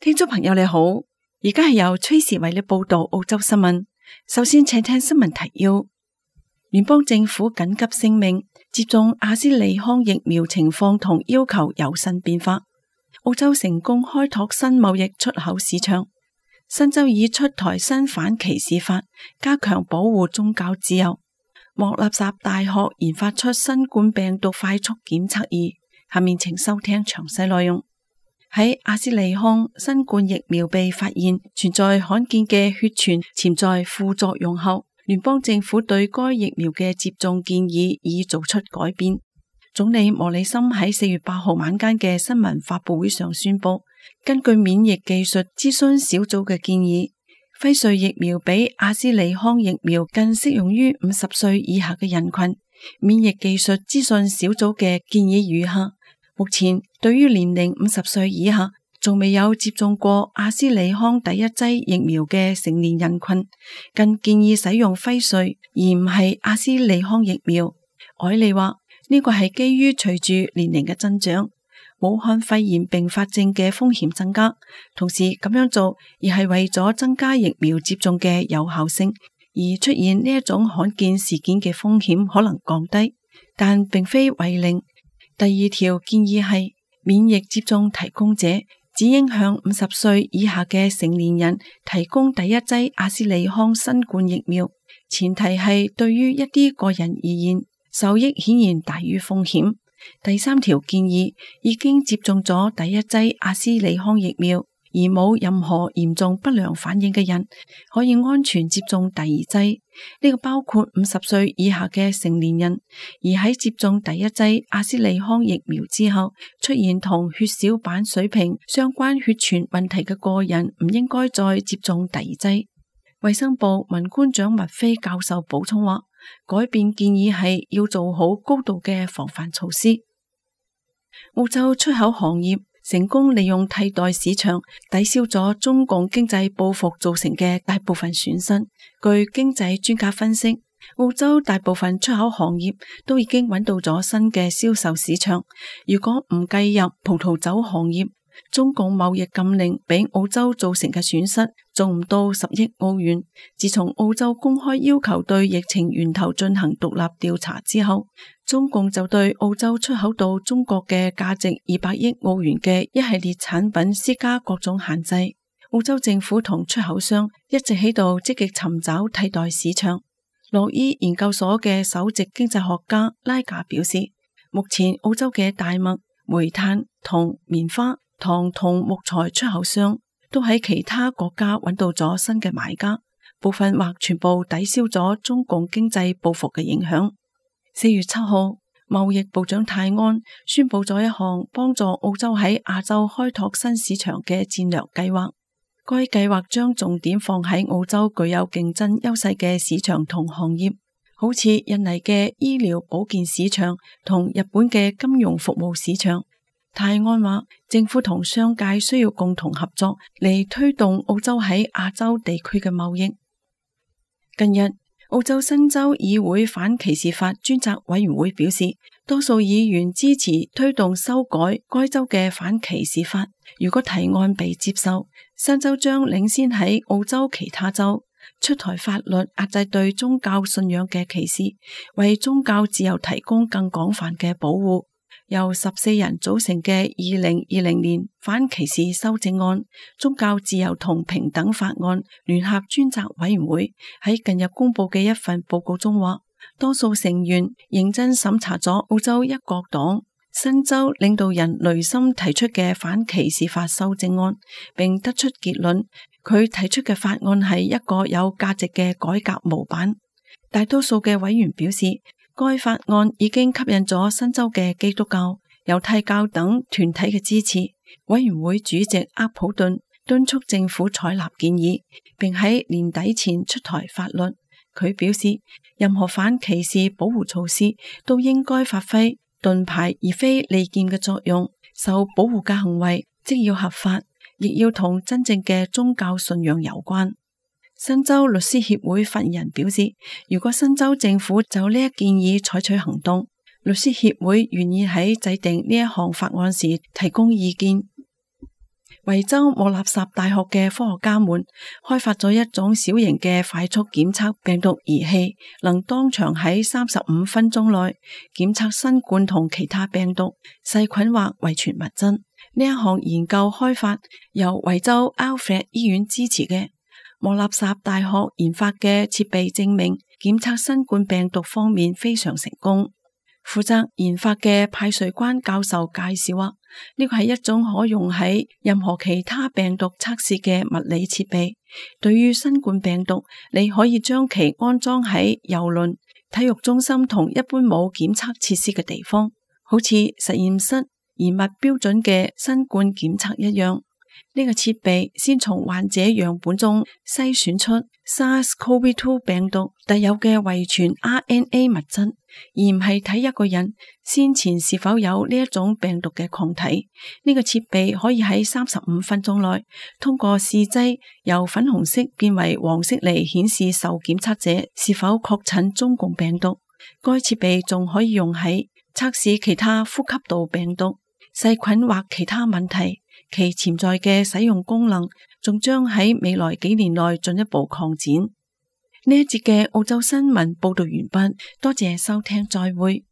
聽眾朋友你好，而家係由崔時為你報道澳洲新聞。首先請聽新聞提要：聯邦政府緊急聲明，接種阿斯利康疫苗情況同要求有新變化。澳洲成功開拓新貿易出口市場。新州已出台新反歧視法，加強保護宗教自由。莫納什大學研發出新冠病毒快速檢測儀。下面請收聽詳細內容。喺阿斯利康新冠疫苗被發現存在罕見嘅血栓潛在副作用後，聯邦政府對該疫苗嘅接種建議已做出改變。總理莫里森喺4月8號晚間嘅新聞發佈會上宣布，根據免疫技術諮詢小組嘅建議，輝瑞疫苗比阿斯利康疫苗更適用於50歲以下嘅人群。免疫技術諮詢小組嘅建議如下：目前對於年齡50歲以下仲未有接種過阿斯利康第一劑疫苗嘅成年人群，更建議使用輝瑞而唔係阿斯利康疫苗。凱利話呢個係基於隨住年齡嘅增長，武漢肺炎併發症嘅風險增加，同時咁樣做而係為咗增加疫苗接種嘅有效性，而出現呢一種罕見事件嘅風險可能降低，但並非為零。第二條建議係免疫接種提供者只應向50歲以下嘅成年人提供第一劑阿斯利康新冠疫苗，前提係對於一啲個人而言，受益顯然大於風險。第三條建議已經接種咗第一劑阿斯利康疫苗而冇任何嚴重不良反應嘅人，可以安全接種第二劑。呢個包括50歲以下嘅成年人，而喺接種第一劑阿斯利康疫苗之後，出現同血小板水平相關血栓問題嘅個人，唔應該再接種第二劑。衛生部文官長麥菲教授補充話，改變建議係要做好高度嘅防範措施。澳洲出口行業成功利用替代市場抵消咗中共經濟報復造成嘅大部分損失。據經濟專家分析，澳洲大部分出口行業都已經揾到咗新嘅銷售市場。如果唔計入葡萄酒行業，中共貿易禁令俾澳洲造成嘅損失仲唔到10億澳元。自從澳洲公開要求對疫情源頭進行獨立調查之後，中共就對澳洲出口到中國嘅價值200億澳元嘅一系列產品施加各種限制。澳洲政府同出口商一直喺度積極尋找替代市場。洛伊研究所嘅首席經濟學家拉賈表示，目前澳洲嘅大麥、煤炭、銅、棉花、糖同木材出口商都喺其他國家揾到咗新嘅買家，部分或全部抵消咗中共經濟報復嘅影響。4月7號，貿易部長泰安宣布咗一項幫助澳洲喺亞洲開拓新市場嘅戰略計劃。該計劃將重點放喺澳洲具有競爭優勢嘅市場同行業，好似印尼嘅醫療保健市場同日本嘅金融服務市場。泰安話，政府同商界需要共同合作嚟推動澳洲喺亞洲地區嘅貿易。近日，澳洲新州議會反歧視法專責委員會表示，多數議員支持推動修改該州嘅反歧視法。如果提案被接受，新州將領先喺澳洲其他州出台法律壓制對宗教信仰嘅歧視，為宗教自由提供更廣泛嘅保護。由14人組成嘅2020年反歧視修正案宗教自由同平等法案聯合專責委員會喺近日公布嘅一份報告中話，多數成員認真審查咗澳洲一國黨新州領導人雷森提出嘅反歧視法修正案，並得出結論，佢提出嘅法案係一個有價值嘅改革模板。大多數嘅委員表示，該法案已經吸引咗新州嘅基督教、猶太教等團體嘅支持。委員會主席厄普頓敦促政府採納建議，並喺年底前出台法律。佢表示，任何反歧視保護措施都應該發揮盾牌而非利劍嘅作用。受保護嘅行為即要合法，亦要同真正嘅宗教信仰有關。新州律師協會發言人表示，如果新州政府就呢一建議採取行動，律師協會願意喺制定呢一項法案時提供意見。維州莫納什大學嘅科學家們開發咗一種小型嘅快速檢測病毒儀器，能當場喺35分鐘內檢測新冠同其他病毒、細菌或遺傳物質。呢一項研究開發由維州 Alfred 醫院支持嘅。莫納什大學研發嘅設備證明檢測新冠病毒方面非常成功。負責研發嘅派瑞關教授介紹話，呢個係一種可用喺任何其他病毒測試嘅物理設備。對於新冠病毒，你可以將其安裝喺郵輪、體育中心同一般冇檢測設施嘅地方，好似實驗室嚴密標準嘅新冠檢測一樣。呢個設備先從患者樣本中篩選出 SARS-CoV-2 病毒特有嘅遺傳 RNA 物質，而唔係睇一個人先前是否有呢一種病毒嘅抗體。呢個設備可以喺35分鐘內通過試劑由粉紅色變為黃色嚟顯示受檢測者是否確診中共病毒。該設備仲可以用喺測試其他呼吸道病毒、細菌或其他問題。其潛在嘅使用功能仲將喺未來幾年內進一步擴展。呢一節嘅澳洲新聞報道完畢，多謝收聽，再會。